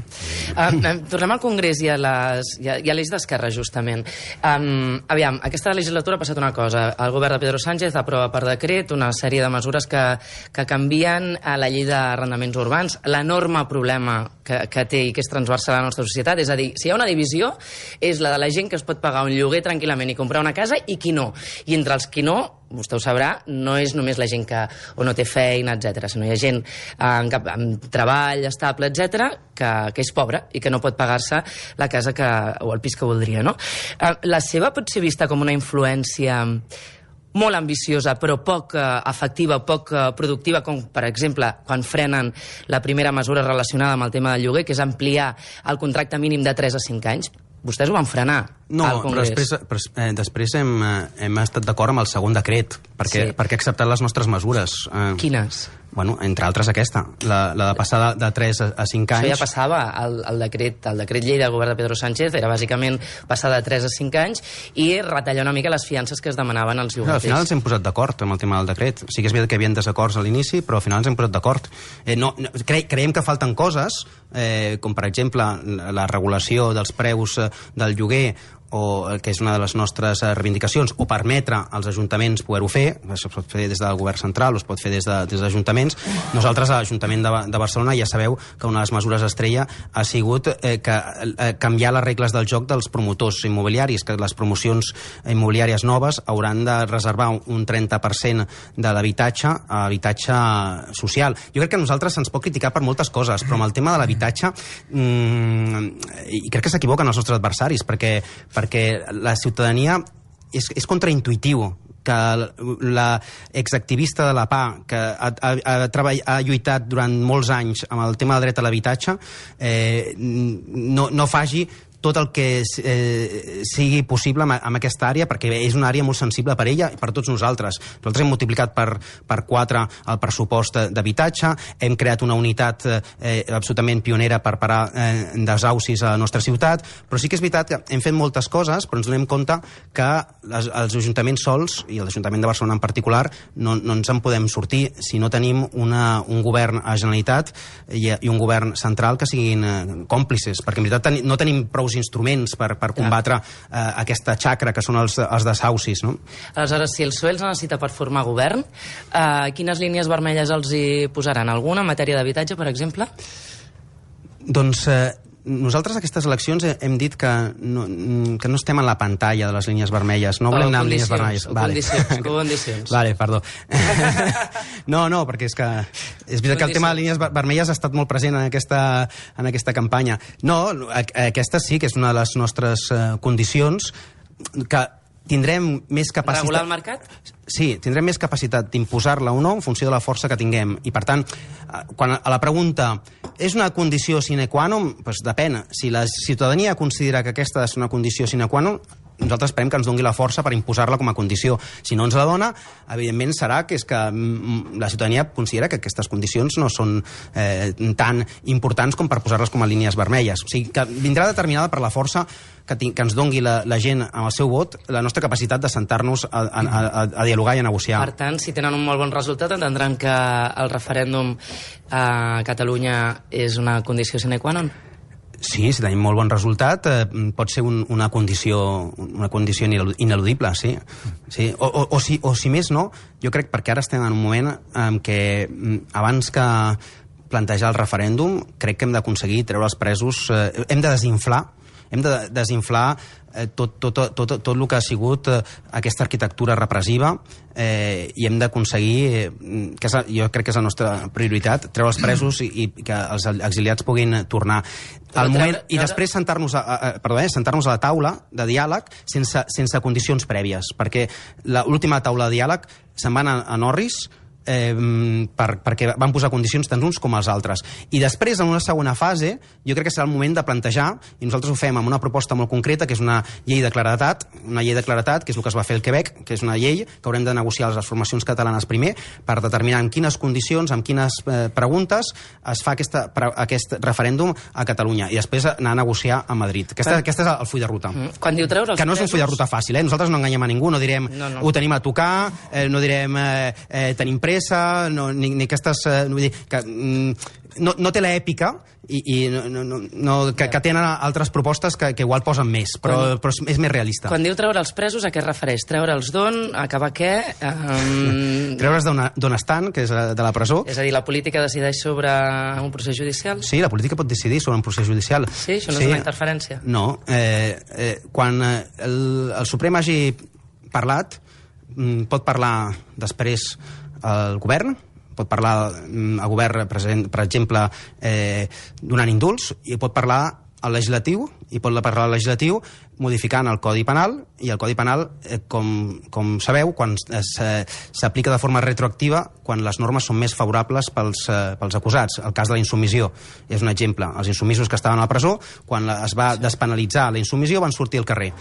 Tornem al Congrés i a l'eix d'Esquerra, justament. Aviam, aquesta legislatura ha passat una cosa. El govern de Pedro Sánchez aprova per decret una sèrie de mesures que canvien a la llei d'arrendaments urbans. L'enorme problema que té i que és transversal a la nostra societat, és a dir, si hi ha una divisió, és la de la gent que es pot pagar un lloguer tranquil·lament i comprar una casa i qui no. I entre els qui no, vostè ho sabrà, no és només la gent que o no té feina, etc, sinó hi ha gent amb treball estable, etc, que és pobra i que no pot pagar-se la casa o el pis que voldria, no? La seva pot ser vista com una influència molt ambiciosa, però poc efectiva, poc productiva, com, per exemple, quan frenen la primera mesura relacionada amb el tema del lloguer, que és ampliar el contracte mínim de 3 a 5 anys. Vostès ho van frenar al Congrés. No, després hem estat d'acord amb el segon decret, perquè ha acceptat les nostres mesures. Quines? Bueno, entre altres aquesta, la de passar de 3 a 5 anys. Això ja passava, el decret llei del govern de Pedro Sánchez era bàsicament passar de 3 a 5 anys i retallar una mica les fiances que es demanaven als llogaters. Al final ens hem posat d'acord amb el tema del decret. Sí que és veritat que hi havia desacords a l'inici, però al final ens hem posat d'acord. Creiem que falten coses, com per exemple la regulació dels preus del lloguer, que és una de les nostres reivindicacions, o permetre als ajuntaments poder-ho fer. Això es pot fer des del govern central o es pot fer des dels ajuntaments. Nosaltres, a l'Ajuntament de Barcelona, ja sabeu que una de les mesures estrella ha sigut canviar les regles del joc dels promotors immobiliaris, que les promocions immobiliàries noves hauran de reservar un 30% de l'habitatge a habitatge social. Jo crec que a nosaltres se'ns pot criticar per moltes coses, però amb el tema de l'habitatge i crec que s'equivoquen els nostres adversaris, perquè la ciutadania és contraintuitiu que la exactivista de la PA, que ha lluitat durant molts anys amb el tema del dret a l'habitatge, no faci tot el que sigui possible en aquesta àrea, perquè és una àrea molt sensible per ella i per tots nosaltres. Nosaltres hem multiplicat per 4 el pressupost d'habitatge, hem creat una unitat absolutament pionera per parar desaucis a la nostra ciutat, però sí que és veritat que hem fet moltes coses, però ens donem compte que els ajuntaments sols, i l'Ajuntament de Barcelona en particular, no ens en podem sortir si no tenim un govern a Generalitat i un govern central que siguin còmplices, perquè en veritat no tenim prou instruments per combatre aquesta xacra que són els desaucis, no? Aleshores, si el PSOE els necessita per formar govern, quines línies vermelles els hi posaran? Alguna en matèria d'habitatge, per exemple? Doncs nosaltres a aquestes eleccions hem dit que no estem en la pantalla de les línies vermelles, no volem anar amb línies vermelles. Condicions. Vale, perdó. No, perquè és veritat que el tema de línies vermelles ha estat molt present en aquesta campanya. No, aquesta sí que és una de les nostres condicions, que tindrem més capacitat... Regular el mercat? Sí, tindrem més capacitat d'imposar-la o no en funció de la força que tinguem. I, per tant, quan a la pregunta és una condició sine qua non, doncs depèn. Si la ciutadania considera que aquesta és una condició sine qua non, nosaltres esperem que ens doni la força per imposar-la com a condició. Si no ens la dona, evidentment serà que és que la ciutadania considera que aquestes condicions no són tan importants com per posar-les com a línies vermelles. O sigui, que vindrà determinada per la força que ens doni la gent amb el seu vot, la nostra capacitat de sentar-nos a dialogar i a negociar. Per tant, si tenen un molt bon resultat, entendran que el referèndum a Catalunya és una condició sine qua non? Sí, si tenim molt bon resultat, pot ser una condició ineludible, sí. O si més no, jo crec, perquè ara estem en un moment en què abans que plantejar el referèndum, crec que hem d'aconseguir treure els presos, hem de desinflar tot el que ha sigut aquesta arquitectura repressiva i hem d'aconseguir, jo crec que és la nostra prioritat, treure els presos i que els exiliats puguin tornar al moment, i després sentar-nos a la taula de diàleg sense condicions prèvies, perquè l'última taula de diàleg se'n van a Norris perquè van posar condicions tant uns com els altres. I després, en una segona fase, jo crec que serà el moment de plantejar, i nosaltres ho fem amb una proposta molt concreta, que és una llei de claredat, que és el que es va fer al Quebec, que és una llei que haurem de negociar les formacions catalanes primer, per determinar en quines condicions, en quines preguntes es fa aquest referèndum a Catalunya, i després anar a negociar a Madrid. Aquest és el full de ruta. Quan diu treure els que no és un full de ruta fàcil, nosaltres no enganyem a ningú, no direm ho tenim a tocar, no direm tenim pressa, ni aquestes... Vull dir, que no té l'èpica que tenen altres propostes que igual posen més, però és més realista. Quan diu treure els presos, a què es refereix? Treure'ls d'on? Acabar què? Treure'ls d'on estan, que és de la presó. És a dir, la política decideix sobre un procés judicial? Sí, la política pot decidir sobre un procés judicial. Sí, això no és una interferència? No. Quan el Suprem hagi parlat, pot parlar després el govern, pot parlar el govern, per exemple, donant indults, i pot parlar el legislatiu, modificant el Codi Penal, i el Codi Penal, com sabeu, quan s'aplica de forma retroactiva, quan les normes són més favorables pels acusats. El cas de la insubmissió és un exemple. Els insumisos que estaven a la presó, quan es va despenalitzar la insubmissió, van sortir al carrer.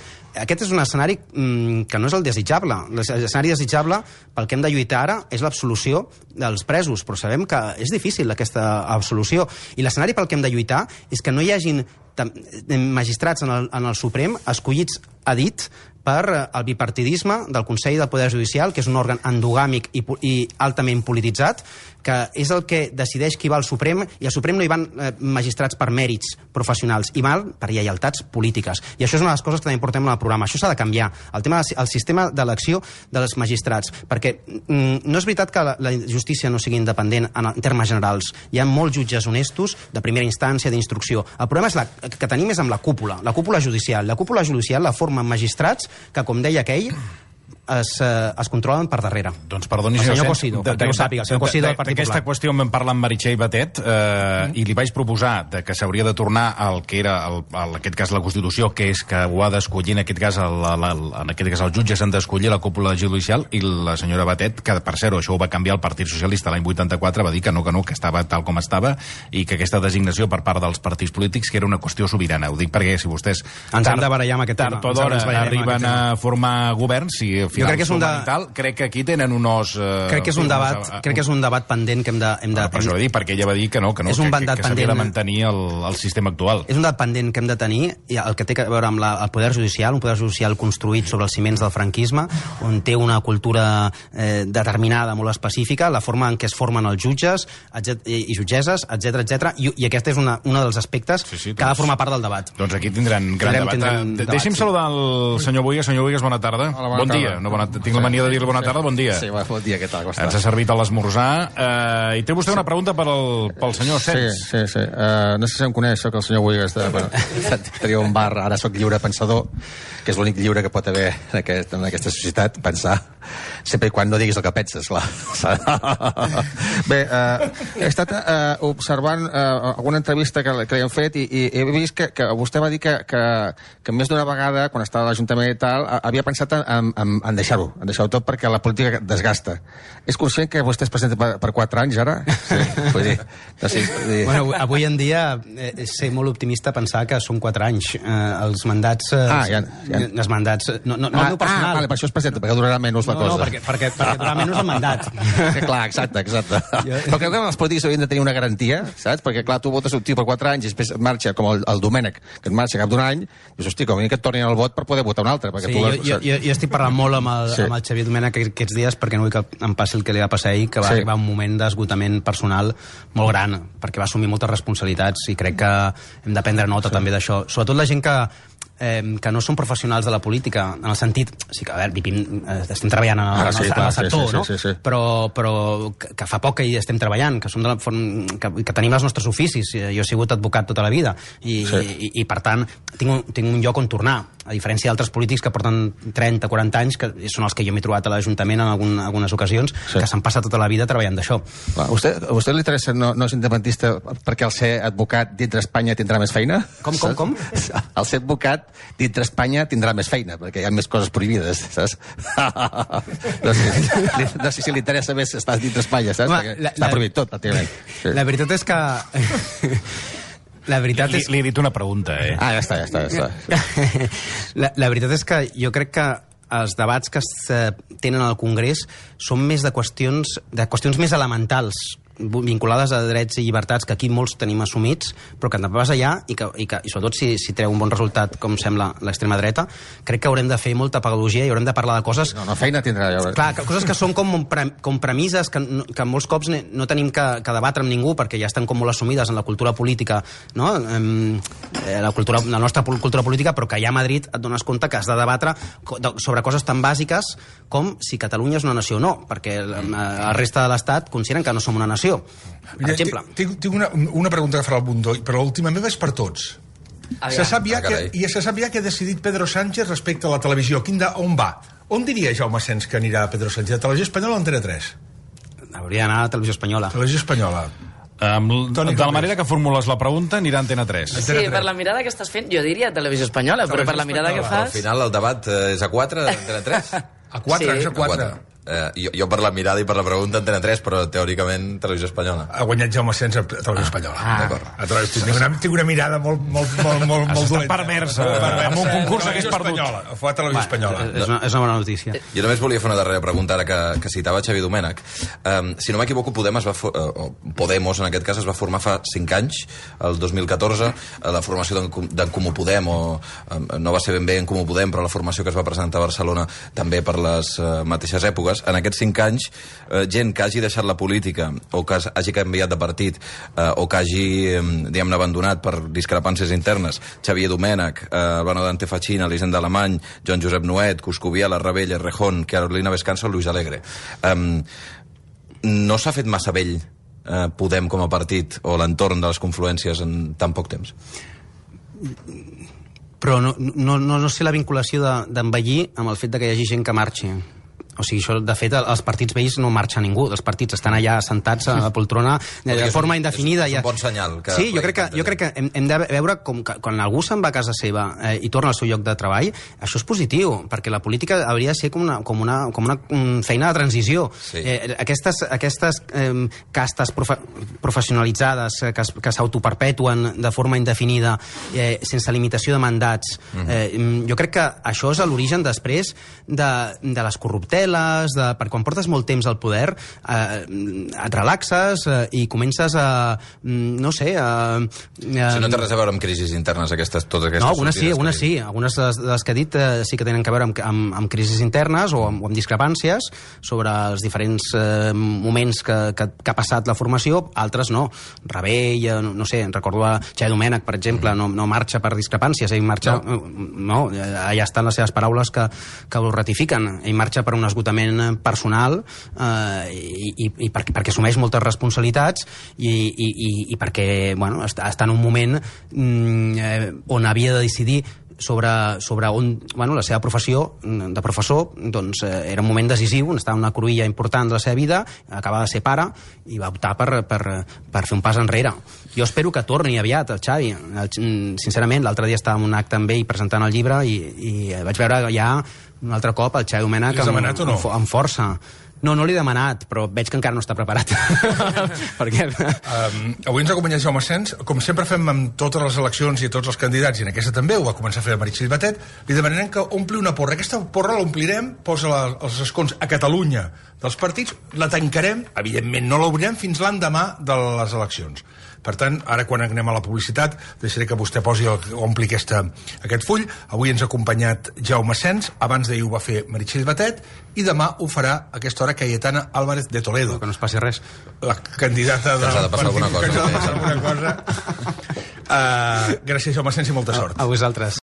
Aquest és un escenari que no és el desitjable. L'escenari desitjable, pel que hem de lluitar ara, és l'absolució dels presos, però sabem que és difícil aquesta absolució. I l'escenari pel que hem de lluitar és que no hi hagin magistrats en el Suprem escollits a dit per el bipartidisme del Consell del Poder Judicial, que és un òrgan endogàmic i altament polititzat, que és el que decideix qui va al Suprem, i al Suprem no hi van magistrats per mèrits professionals, hi van per lleialtats polítiques. I això és una de les coses que també portem en el programa. Això s'ha de canviar, el sistema d'elecció dels magistrats, perquè no és veritat que la justícia no sigui independent en termes generals. Hi ha molts jutges honestos, de primera instància, d'instrucció. El problema que tenim és amb la cúpula judicial. La cúpula judicial la formen magistrats que, com deia aquell, es controlen per darrere. Doncs perdoni, el senyor Cosido, perquè ho sàpiga, el senyor Cosido del Partit Popular. D'aquesta qüestió en vam parlar amb Meritxell Batet i li vaig proposar que s'hauria de tornar al que era, en aquest cas, la Constitució, que és que ho ha d'escollir, en aquest cas, els jutges han d'escollir la cúpula judicial, i la senyora Batet, que per cert, això ho va canviar el Partit Socialista l'any 84, va dir que no, que estava tal com estava, i que aquesta designació per part dels partits polítics que era una qüestió sobirana. Ho dic perquè si vostès ens hem de barallar amb aquest tema. Tard o d'hora arriben a formar governs, i al final crec que aquí tenen un os... Crec que és un debat pendent que hem de... Per això va dir, perquè ella va dir que s'havia de mantenir el sistema actual. És un debat pendent que hem de tenir, i el que té a veure amb el poder judicial, un poder judicial construït sobre els ciments del franquisme, on té una cultura determinada, molt específica, la forma en què es formen els jutges i jutgesses, etc. I aquest és un dels aspectes que ha de formar part del debat. Doncs aquí tindran gran debat. Deixi'm saludar el senyor Buigas. Senyor Buigas, bona tarda. Bon dia. Tinc la mania de dir-li bona tarda, bon dia. Sí, bon dia, què tal? Ens ha servit a l'esmorzar. I té vostè una pregunta pel senyor Sens. Sí. No sé si em coneix, soc el senyor Buigas. Tenia un bar, ara soc lliure pensador, que és l'únic lliure que pot haver en aquesta societat, pensar, sempre quan no diguis el que penses, clar. Bé, he estat observant alguna entrevista que li han fet i he vist que vostè va dir que més d'una vegada, quan estava a l'Ajuntament i tal, havia pensat en deixar-ho tot perquè la política desgasta. És conscient que vostè es presenta per 4 anys, ara? Sí, vull dir... Bueno, avui en dia és ser molt optimista pensar que són 4 anys. Els mandats... Els mandats... No el meu personal. Vale, per això es presenta, perquè durarà menys la cosa. No, perquè durarà menys el mandat. Clar, exacte. Però crec que els polítics haurien de tenir una garantia, saps? Perquè, clar, tu votes un tio per 4 anys i després marxa, com el Domènech, que et marxa cap d'un any, i dius, hosti, com a mínim que et tornin el vot per poder votar un altre. Jo estic parlant molt amb el Xavier Domènech aquests dies perquè no vull que em passi el que li va passar ahir, que va arribar un moment d'esgotament personal molt gran, perquè va assumir moltes responsabilitats i crec que hem de prendre nota també d'això. Sobretot la gent que no són professionals de la política, en el sentit... Sí que, a veure, estem treballant en el sector, no? Però que fa poc que hi estem treballant, que tenim els nostres oficis. Jo he sigut advocat tota la vida i per tant, tinc un lloc on tornar, a diferència d'altres polítics que porten 30, 40 anys, que són els que jo m'he trobat a l'Ajuntament en algunes ocasions, que s'han passat tota la vida treballant d'això. A vostè li interessa, no és independentista, perquè al ser advocat dintre Espanya tindrà més feina? Com? Al ser advocat dintre Espanya tindrà més feina, perquè hi ha més coses prohibides, saps? No sé si li interessa més estar dintre Espanya, saps? Perquè està prohibit tot, pràcticament. La veritat és que... Li he dit una pregunta, ja està. La veritat és que jo crec que els debats que es tenen al Congrés són més de qüestions més elementals, vinculades a drets i llibertats que aquí molts tenim assumits, però que també vas allà i sobretot si treu un bon resultat, com sembla l'extrema dreta, crec que haurem de fer molta pedagogia i haurem de parlar de coses... No, feina tindrà. Clar, coses que són com premisses que molts cops no tenim que debatre amb ningú perquè ja estan com molt assumides en la cultura política, no? La nostra cultura política, però que allà a Madrid et dones compte que has de debatre sobre coses tan bàsiques com si Catalunya és una nació o no, perquè la resta de l'Estat consideren que no som una nació. Per exemple. Tinc una pregunta que farà el Bundó, però l'última meva és per tots. Se sap ja que ha decidit Pedro Sánchez respecte a la televisió. On va? On diria Jaume Sens que anirà Pedro Sánchez? A Televisió Espanyola o Antena 3? Hauria d'anar a Televisió Espanyola. Televisió Espanyola. De la manera que formules la pregunta anirà a Antena 3. Sí, per la mirada que estàs fent, jo diria Televisió Espanyola, però per la mirada que fas... Al final el debat és a 4 d'Antena 3? A 4, és a 4. Jo per la mirada i per la pregunta Antena 3, però teòricament Televisió Espanyola. Ha guanyat Jaume Sens a Televisió Espanyola. Tinc una mirada molt dolenta. Perversa. Amb un concurs hagués perdut. Fue a Televisió Espanyola. És una bona notícia. Jo només volia fer una darrera pregunta ara que citava Xavier Domènech. Si no m'equivoco, Podemos en aquest cas es va formar fa 5 anys, el 2014. La formació d'en Comú Podem, no va ser ben bé en Comú Podem, però la formació que es va presentar a Barcelona també per les mateixes èpoques. En aquests 5 anys, gent que hagi deixat la política o que hagi canviat de partit o que hagi, diguem-ne, abandonat per discrepàncies internes, Xavier Domènech, Albano Dante Fachin, Elisenda Alemany, Joan Josep Nuet, Coscubiela, Rebell, Errejón, Carolina Vescanza o Luis Alegre. No s'ha fet massa vell Podem com a partit o l'entorn de les confluències en tan poc temps? Però no sé la vinculació d'envellir amb el fet que hi hagi gent que marxi. O sigui, això, de fet, als partits vells no marxa ningú. Els partits estan allà sentats a la poltrona de forma indefinida. És un bon senyal. Sí, jo crec que hem de veure com quan algú se'n va a casa seva i torna al seu lloc de treball, això és positiu, perquè la política hauria de ser com una feina de transició. Sí. Aquestes castes professionalitzades que s'autoperpetuen de forma indefinida, sense limitació de mandats, jo crec que això és l'origen després de les corrupteles, perquè quan portes molt temps al poder et relaxes i comences a, no sé... Si no té res a veure amb crisis internes, totes aquestes... No, algunes sí. Algunes de les que he dit sí que tenen a veure amb crisis internes o amb discrepàncies sobre els diferents moments que ha passat la formació, altres no. Rebell, no sé, recordo a Xavier Domènech, per exemple, no marxa per discrepàncies, ell marxa... No, allà estan les seves paraules que ho ratifiquen. Ell marxa per un esgotament personal i perquè assumeix moltes responsabilitats i perquè, bueno, està en un moment on havia de decidir sobre on, bueno, la seva professió de professor, doncs era un moment decisiu, estava en una cruïlla important de la seva vida, acabava de ser pare i va optar per fer un pas enrere. Jo espero que torni aviat el Xavi. Sincerament, l'altre dia estava en un acte amb ell presentant el llibre i vaig veure ja un altre cop el Xavi Domènech amb força. No l'he demanat, però veig que encara no està preparat. Perquè... Avui ens acompanya Jaume Asens. Com sempre fem amb totes les eleccions i tots els candidats, i en aquesta també, ho va començar a fer la Meritxell Batet, li demanarem que ompli una porra. Aquesta porra l'omplirem, posa els escons a Catalunya dels partits, la tancarem, evidentment no l'obrirem fins l'endemà de les eleccions. Per tant, ara quan anem a la publicitat, deixaré que vostè ompli aquest full. Avui ens ha acompanyat Jaume Asens, abans d'ahir ho va fer Meritxell Batet, i demà ho farà a aquesta hora Cayetana Álvarez de Toledo. Que no es passi res. La candidata de... Que ha de passar alguna cosa. Gràcies, Jaume Asens, i molta sort. A vosaltres.